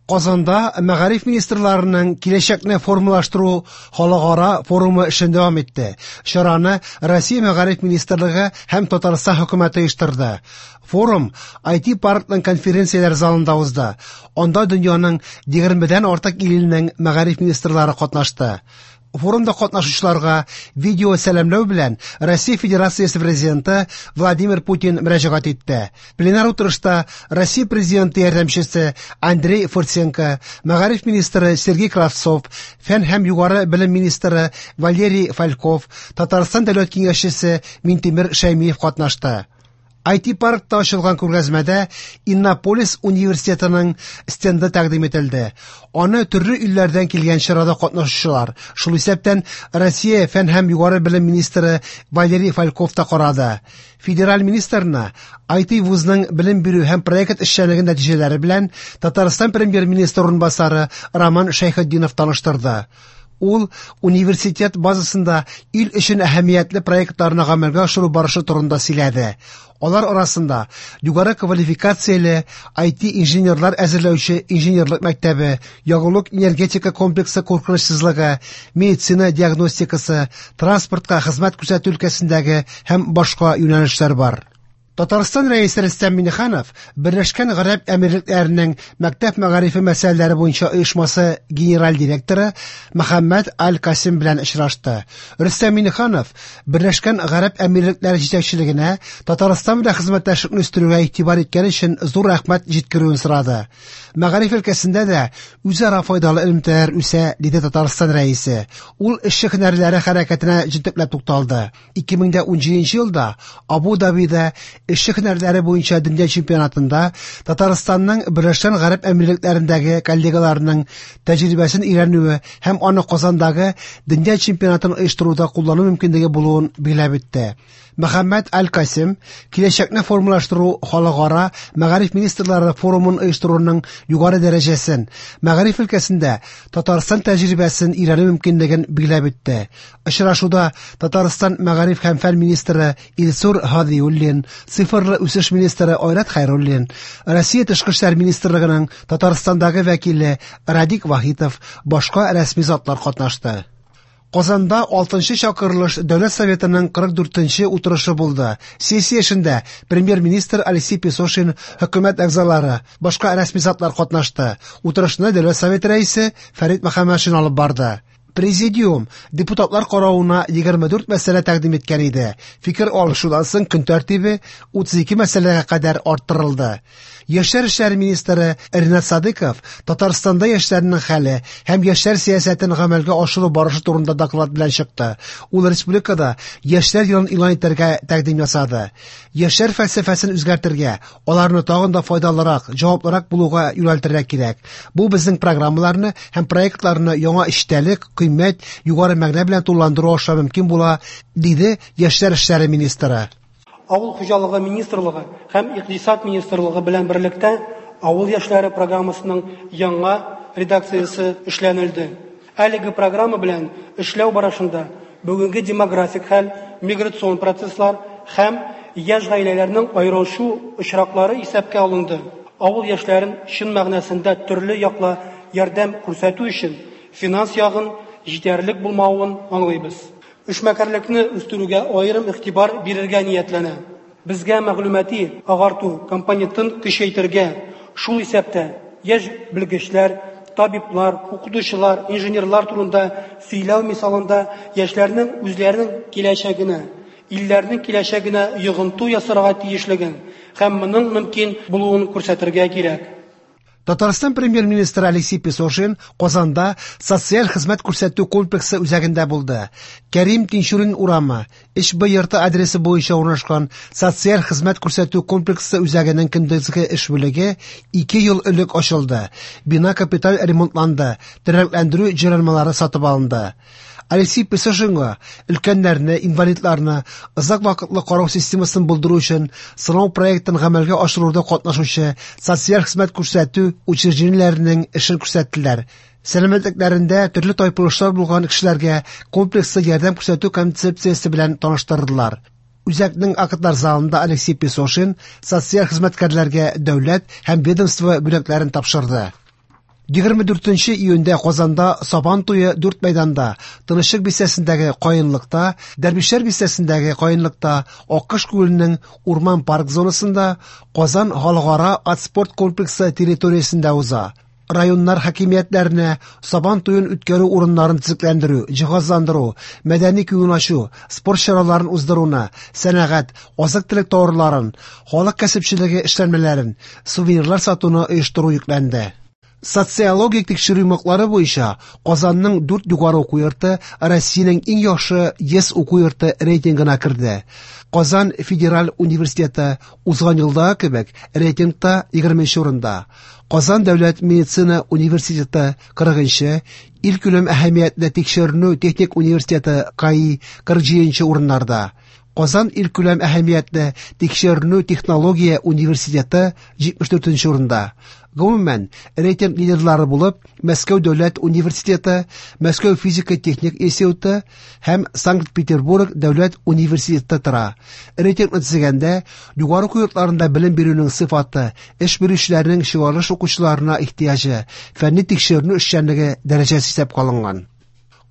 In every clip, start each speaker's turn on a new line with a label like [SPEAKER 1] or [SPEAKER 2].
[SPEAKER 1] Казанда мәгариф министрларының киләчәкне формалаштыру халыкара форумы эшен дәвам итте. Чараны Россия мәгариф министрлыгы һәм Татарстан хөкүмәте оештырды. Форум IT-паркның конференцияләр залында узды. Анда дөньяның 20дән артык иленең мәгариф министрлары катнашты. Форумда катнашучыларга видео сәламләү белән Россия Федерациясе Президенты Владимир Путин мөрәҗәгать итте. Пленар утырышта Россия Президенты ярдәмчесе Андрей Фурсенко, мәгариф министры Сергей Кравцов, фән һәм югары белем министры Валерий Фальков, Татарстан дәүләт киңәшчесе Минтимер Шәймиев катнашты. IT-паркта ачылган күргәзмәдә Иннополис университетының стенды тәкъдим ителде. Аны төрле илләрдән килгән чарада катнашучылар, шул исәптән Россия фән һәм югары белем министры Валерий Фальков та карады. Федераль министрны IT вузның белем бирү һәм проект эшчәнлеге нәтиҗәләре белән Татарстан премьер-министры урынбасары Роман Шәйхетдинов таныштырды. Ул университет базасында ил өчен әһәмиятле проектларны гамәлгә ашыру барышы турында сөйләде. Алар арасында югары квалификацияле IT-инженерлар әзерләүче инженерлык мәктәбе, ягулык энергетика комплексы куркынычсызлыгы, медицина диагностикасы, транспортка хезмәт күрсәтү өлкәсендәге һәм башка юнәлешләр бар. Татарстан Рәисе Рөстәм Миңнеханов Берләшкән Гарәп Әмирлекләренең мәктәп мәгарифе мәсьәләләре буенча оешмасы генераль директоры Мөхәммәд Аль-Касим белән очрашты. Рөстәм Миңнеханов Берләшкән Гарәп Әмирлекләре җитәкчелегенә Татарстан белән хезмәттәшлекне үстерүгә игътибар иткән өчен зур рәхмәт җиткерүен сорады. Мәгариф өлкәсендә дә үзара файдалы элемтәләр үсә, диде Татарстан Рәисе. Ул эшче һөнәрләре хәрәкәтенә җентекләп тукталды. 2017 елда Абу-Дабида эшче һөнәрләре буенча дөнья чемпионатында Татарстанның Берләшкән Гарәп Әмирлекләрендәге коллегаларының тәҗрибәсен өйрәнүе һәм аны Казандагы дөнья чемпионатын оештыруда куллану мөмкинлеге булуын билгеләп үтте. Мөхәммәд Аль-Касим киләчәкне формалаштыру халыкара мәгариф министрлары форумын оештыруның югары дәрәҗәсен, мәгариф өлкәсендә Татарстан тәҗрибәсен өйрәнү мөмкинлеген билгеләп үтте. Очрашуда Татарстан мәгариф һәм фән министры Илсур Һадиуллин, цифрлы үсеш министры Айрат Хәйруллин, Россия тышкы эшләр министрлыгының Татарстандагы вәкиле Радик Вахитов, башка рәсми затлар катнашты. Казанда 6нчы чакырылыш Дәүләт Советының 44нче утырышы булды. Сессия эшендә премьер-министр Алексей Песошин, хөкүмәт әгъзалары, башка рәсми затлар катнашты. Утырышны Дәүләт Советы рәисе Фәрит Мөхәммәтшин алып барды. Президиум депутатлар каравына 24 мәсьәлә тәкъдим иткән иде. Фикер алышудан соң көн тәртибе 32 мәсьәләгә кадәр арттырылды. Яшьләр эшләре министры Ринат Садыков Татарстанда яшьләрнең хәле һәм яшьләр сәясәтен гамәлгә ашыру барышы турында доклад белән чыкты. Ул республикада яшьләр елын игълан итәргә тәкъдим ясады. Яшьләр фәлсәфәсен үзгәртергә, аларны тагын да файдалырак, җаваплырак булуга юнәлтергә кирәк. Бу безнең программаларны һәм проектларны яңа эчтәлек, кыйммәт, югары мәгънә белән тулыландыру аша мөмкин була, диде яшьләр эшләре министры.
[SPEAKER 2] Авыл хуҗалыгы министрлыгы һәм Икътисад министрлыгы белән берлектә авыл яшьләре программасының яңа редакциясе эшләнелде. Әлеге программа белән эшләү барышында бүгенге демографик хәл, миграцион процесслар һәм яшь гаиләләрнең аерылышу очраклары исәпкә алынды. Авыл яшьләрен чын мәгънәсендә төрле яклы ярдәм күрсәтү өчен финанс ягын җитәрлек булмавын аңлыйбыз. Эшмәкәрлекне үстерүгә аерым игътибар бирергә ниятләнә. Безгә мәгълүмати агарту компонентын көчәйтергә, шул исәптә яшь белгечләр, табиблар, укытучылар, инженерлар турында сөйләү мисалында яшьләрнең үзләренең киләчәгенә, илләрнең киләчәгенә йогынты ясарга тиешлеген һәм моның мөмкин булуын күрсәтергә кирәк.
[SPEAKER 1] Татарстан премьер-министры Алексей Песошин Казанда социаль хезмәт күрсәтү комплексы үзәгендә булды. Кәрим Тинчурин урамы, 3Б йорты адресы буенча урнашкан социаль хезмәт күрсәтү комплексы үзәгенең көндезге эш бүлеге 2 ел элек ачылды. Бина капиталь ремонтланды, тернәкләндерү җайланмалары сатып алынды. Алексей Песошинга өлкәннәрне, инвалидларны озак вакытлы карау системасын булдыру өчен сынау проектын гамәлгә ашыруда катнашучы социаль хезмәт күрсәтү учреждениеләренең эшен күрсәттеләр. Сәламәтлекләрендә төрле тайпылышлар булган кешеләргә комплекслы ярдәм күрсәтү концепциясе белән таныштырдылар. Үзәкнең актлар залында Алексей Песошин социаль хезмәткәрләргә дәүләт һәм ведомство бүләкләрен тапшырды. 24 июньдә Казанда Сабан туе дүрт мәйданда: Тынычлык бистәсендәге Каенлыкта, Дәрвишләр бистәсендәге Каенлыкта, Аккош күленең урман-парк зонасында, Казан халыкара ат-спорт комплексы территориясендә уза. Районнар хакимиятләренә Сабан туен үткәрү урыннарын төзекләндерү, җиһазландыру, мәдәни күңел ачу, спорт чараларын уздыруны, сәнәгать, азык-төлек товарларын, халык кәсепчелеге эшләнмәләрен, сувенирлар сатуны оештыру йөкләнде. Социологик тикшерү йомгаклары буенча Казанның дүрт югары уку йорты Россиянең иң яхшы 100 уку йорты рейтингына керде. Казан федераль университеты узган елдагы кебек рейтингта 20 нче урында. Казан дәүләт медицина университеты 40 нчы, илкүләм әһәмиятле тикшеренү техник университеты КАИ 47 нче урыннарда. Казан илкүләм әһәмиятле тикшеренү технология университеты 74 нче урында. Гомумән, рейтинг лидерлары булып Мәскәү дәүләт университеты, Мәскәү физика-техник институты һәм Санкт-Петербург дәүләт университеты тора. Рейтингны төзегәндә, югары уку йортларында белем бирүнең сыйфаты, эш бирүчеләрнең чыгарылыш укучыларына ихтыяҗы, фәнни тикшеренү эшчәнлеге дәрәҗәсе исәпкә алынган.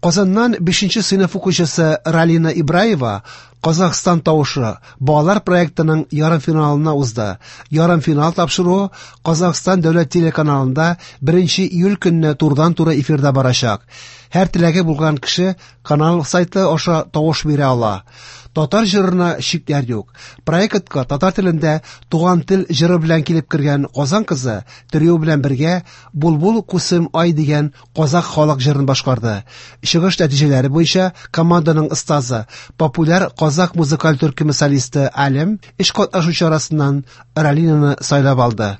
[SPEAKER 1] Казаннан бишенче сыйныф укучысы Ралина Ибраева Казахстан тавышы балалар проектының ярымфиналына узды. Ярымфинал тапшыруы Казахстан дәүләт телеканалында 1 июль көнне турыдан-туры эфирда барачак. Һәр теләге булган кеше канал сайты аша тавыш бирә ала. Татар җырына чикләр юк. Проектка татар телендә Туган тел җыры белән килеп кергән Казан кызы трио белән бергә Булбул кусым ай дигән казах халык җырын башкарды. Чыгыш нәтиҗәләре буенча команданың остазы, популяр казах музыкаль төркеме солисты Алем өч катнашучы арасыннан Ралинаны сайлап алды.